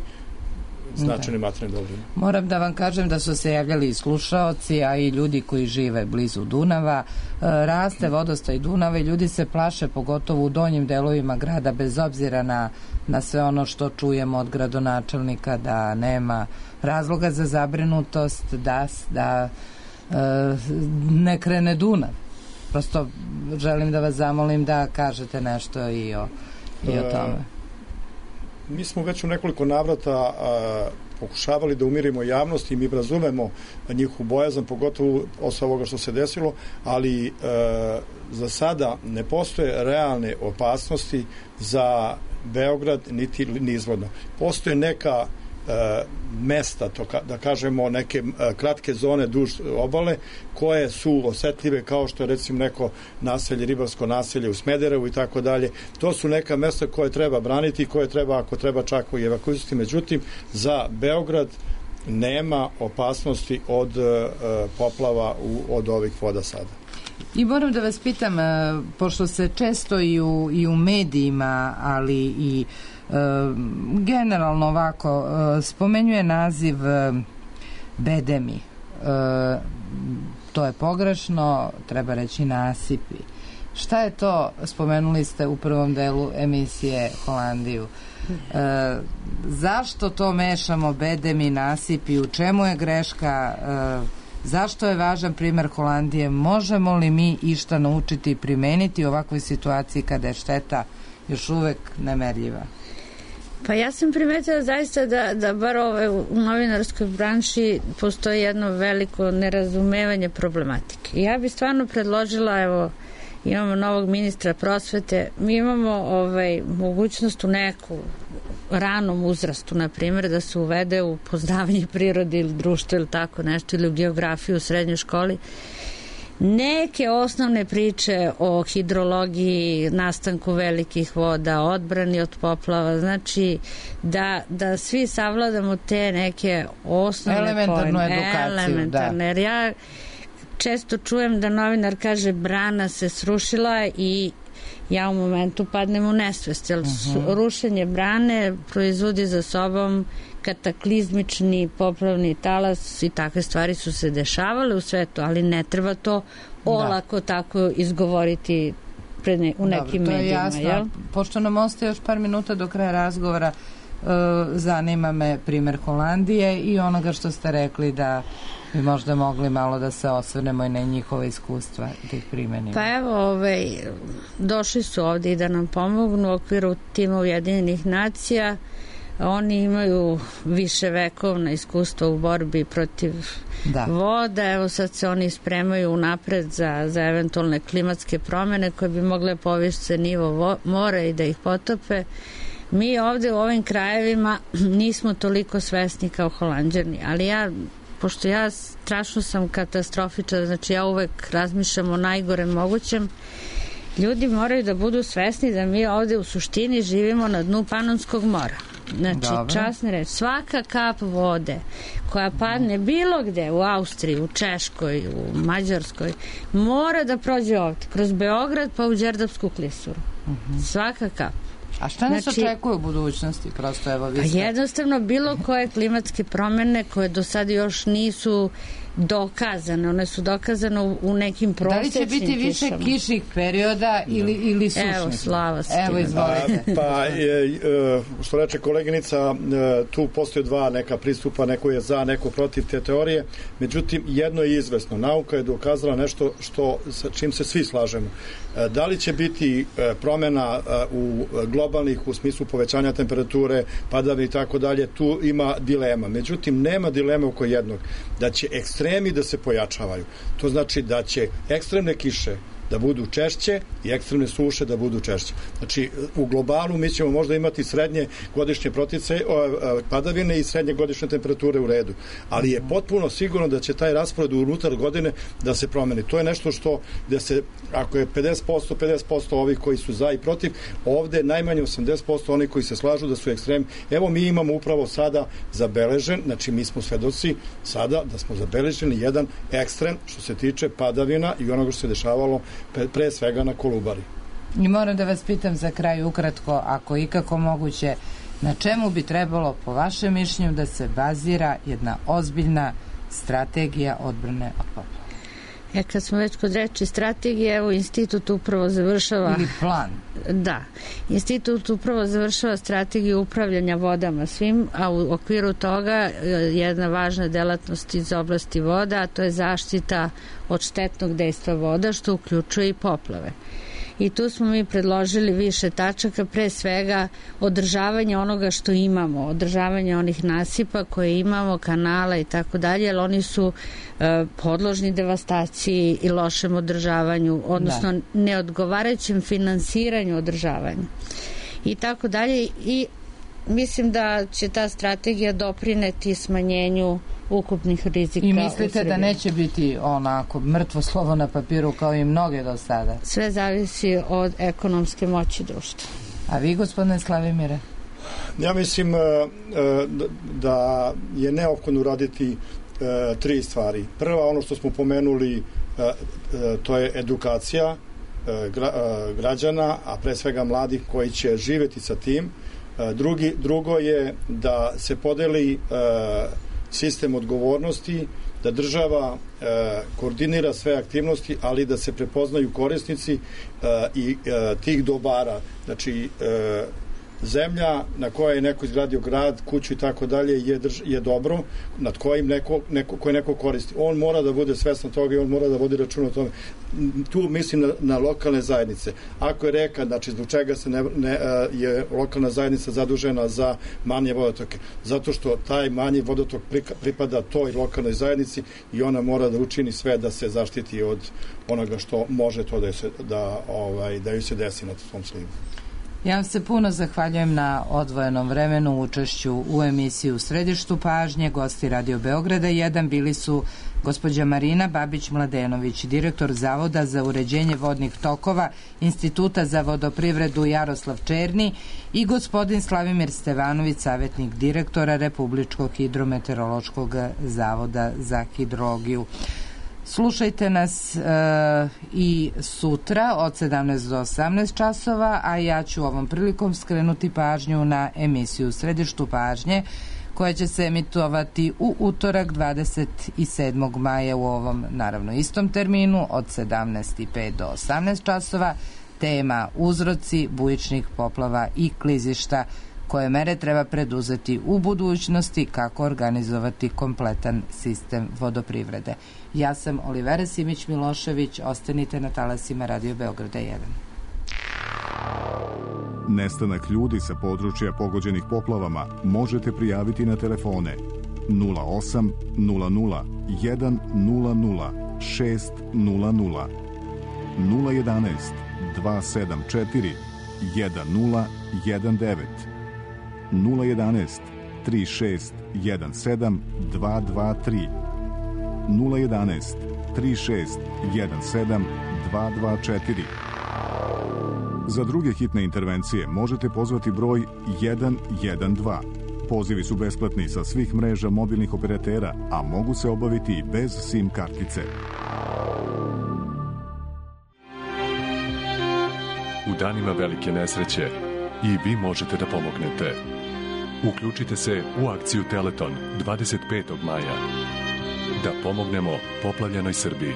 značajnim materijalnim dobrima. Moram da vam kažem da su se javljali i slušaoci, a i ljudi koji žive blizu Dunava. Raste vodostaj Dunava i ljudi se plaše, pogotovo u donjim delovima grada, bez obzira na, na sve ono što čujemo od gradonačelnika, da nema razloga za zabrinutost da, da e, ne krene Dunav. Prosto želim da vas zamolim da kažete nešto i o, i o tome. Mi smo već u nekoliko navrata a, pokušavali da umirimo javnost i mi razumemo njihovu bojazan, pogotovo od ovoga što se desilo, ali a, za sada ne postoje realne opasnosti za Beograd niti nizvodno. Postoje neka mesta, to ka, da kažemo neke kratke zone duž obale koje su osetljive, kao što je recimo neko naselje, ribarsko naselje u Smederevu i tako dalje. To su neka mesta koje treba braniti i koje treba, ako treba, čak i evakuisati. Međutim, za Beograd nema opasnosti od uh, poplava u, od ovih voda sada. I moram da vas pitam, pošto se često i u, i u medijima, ali i e, generalno ovako e, spomenjuje naziv e, bedemi. E, to je pogrešno, treba reći nasipi. Šta je to, spomenuli ste u prvom delu emisije Holandiju. E, zašto to mešamo bedemi, nasipi, u čemu je greška? E, Zašto je važan primer Holandije? Možemo li mi išta naučiti i primeniti u ovakvoj situaciji kada je šteta još uvek nemerljiva? Pa ja sam primetila zaista da, da bar ove, u novinarskoj branši postoji jedno veliko nerazumevanje problematike. Ja bih stvarno predložila, evo, imamo novog ministra prosvete, mi imamo ovaj, mogućnost u neku ranom uzrastu, na primjer, da se uvede u poznavanje prirode ili društva ili tako nešto, ili u geografiju u srednjoj školi, neke osnovne priče o hidrologiji, nastanku velikih voda, odbrani od poplava, znači da, da svi savladamo te neke osnovne elementarnu pojme, edukaciju, elementarne, da. Jer ja često čujem da novinar kaže brana se srušila i ja u momentu padnem u nesvest, jer uh-huh. rušenje brane proizvodi za sobom kataklizmični poplavni talas i takve stvari su se dešavale u svetu, ali ne treba to olako da. tako izgovoriti pred ne, u nekim Dobro, medijima. Jasno. Jel? Pošto nam ostaje još par minuta do kraja razgovora, uh, zanima me primer Holandije i onoga što ste rekli da bi možda mogli malo da se osvrnemo i na njihove iskustva da ih primenimo. Pa evo, ovaj, došli su ovdje i da nam pomognu u okviru tima Ujedinjenih nacija. Oni imaju više vekovna iskustva u borbi protiv da. voda. Evo sad se oni spremaju unapred za, za eventualne klimatske promjene koje bi mogle povišiti nivo vo, mora i da ih potope. Mi ovdje u ovim krajevima nismo toliko svesni kao Holanđani, ali ja pošto ja strašno sam katastrofičar, znači ja uvek razmišljam o najgorem mogućem, ljudi moraju da budu svesni da mi ovde u suštini živimo na dnu Panonskog mora. Znači, Dobre. časni reč, svaka kap vode koja padne bilo gde, u Austriji, u Češkoj, u Mađarskoj, mora da prođe ovde, kroz Beograd pa u Đerdapsku klisuru. Uh-huh. Svaka kap. A šta nas znači, očekuje u budućnosti? Prosto, evo, vi ste... Jednostavno, bilo koje klimatske promjene koje do sada još nisu dokazane, one su dokazane u, u nekim prosečnim kišama. Da li će biti više kišama. kišnih perioda ili, ili sušnih? Evo, Slava se. Evo, izvolite. A, pa, je, što reče koleginica, tu postoje dva neka pristupa, neko je za, neko protiv te teorije, međutim, jedno je izvesno. Nauka je dokazala nešto što, sa čim se svi slažemo. Da li će biti promjena u globalnih u smislu povećanja temperature, padavine i tako dalje, tu ima dilema. Međutim, nema dileme oko jednog, da će ekstremi da se pojačavaju. To znači da će ekstremne kiše da budu češće i ekstremne suše da budu češće. Znači, u globalu mi ćemo možda imati srednje godišnje protice, padavine i srednje godišnje temperature u redu. Ali je potpuno sigurno da će taj raspored unutar godine da se promeni. To je nešto što, da se, ako je pedeset posto, pedeset posto ovih koji su za i protiv, ovde najmanje osamdeset posto oni koji se slažu da su ekstremi. Evo, mi imamo upravo sada zabeležen, znači mi smo svedoci sada da smo zabeleženi jedan ekstrem što se tiče padavina i onoga što se dešavalo pre svega na Kolubari. I moram da vas pitam za kraj ukratko, ako ikako moguće, na čemu bi trebalo po vašem mišljenju da se bazira jedna ozbiljna strategija odbrane od poplava? E, kad smo već kod reči strategije, evo, institut upravo završava... Ili plan. Da. Institut upravo završava strategiju upravljanja vodama svim, a u okviru toga jedna važna delatnost iz oblasti voda, a to je zaštita od štetnog dejstva voda, što uključuje i poplave. I tu smo mi predložili više tačaka, pre svega održavanje onoga što imamo, održavanje onih nasipa koje imamo, kanala i tako dalje, jer oni su e, podložni devastaciji i lošem održavanju, odnosno da. neodgovarajućem finansiranju održavanja. I tako dalje. I mislim da će ta strategija doprineti smanjenju ukupnih rizika. I mislite da neće biti onako mrtvo slovo na papiru kao i mnoge do sada? Sve zavisi od ekonomske moći društva. A vi, gospodine Slavimire? Ja mislim da je neophodno uraditi tri stvari. Prva, ono što smo pomenuli, to je edukacija građana, a pre svega mladih koji će živjeti sa tim. Drugi, drugo je da se podeli sistem odgovornosti, da država e, koordinira sve aktivnosti, ali da se prepoznaju korisnici e, i e, tih dobara. Znači, e, zemlja na kojoj je neko izgradio grad, kuću i tako dalje je, drž, je dobro, nad kojim neko, neko, koje neko koristi. On mora da bude svestan toga i on mora da vodi račun o tome. Tu mislim na, na lokalne zajednice. Ako je reka, znači zbog čega se ne, ne, je lokalna zajednica zadužena za manje vodotoke? Zato što taj manji vodotok pripada toj lokalnoj zajednici i ona mora da učini sve da se zaštiti od onoga što može to da, se, da, ovaj, da ju se desi na tom slivu. Ja vam se puno zahvaljujem na odvojenom vremenu, učešću u emisiji U središtu pažnje. Gosti Radio Beograda jedan bili su gospođa Marina Babić-Mladenović, direktor Zavoda za uređenje vodnih tokova Instituta za vodoprivredu Jaroslav Černi, i gospodin Slavimir Stevanović, savjetnik direktora Republičkog hidrometeorološkog zavoda za hidrologiju. Slušajte nas e, i sutra od sedamnaest do osamnaest časova, a ja ću ovom prilikom skrenuti pažnju na emisiju Središtu pažnje, koja će se emitovati u utorak dvadeset sedmog maja u ovom, naravno, istom terminu od sedamnaest i pet do osamnaest časova. Tema uzroci bujičnih poplava i klizišta, koje mere treba preduzeti u budućnosti, kako organizovati kompletan sistem vodoprivrede. Ja sam Olivera Simić-Milošević, ostanite na talasima Radio Beograda jedan. Nestanak ljudi sa područja pogođenih poplavama možete prijaviti na telefone nula osam nula nula jedan nula nula šest nula nula, nula jedanaest dva sedam četiri jedan nula jedan devet, nula jedanaest tri šest jedan sedam dva dva tri, nula jedanaest tri šest jedan sedam dva dva četiri. Za druge hitne intervencije možete pozvati broj jedan jedan dva. Pozivi su besplatni sa svih mreža mobilnih operatera, a mogu se obaviti i bez SIM kartice. U danima velike nesreće i vi možete da pomognete. Uključite se u akciju Teleton dvadeset petog maja. Da pomognemo poplavljenoj Srbiji.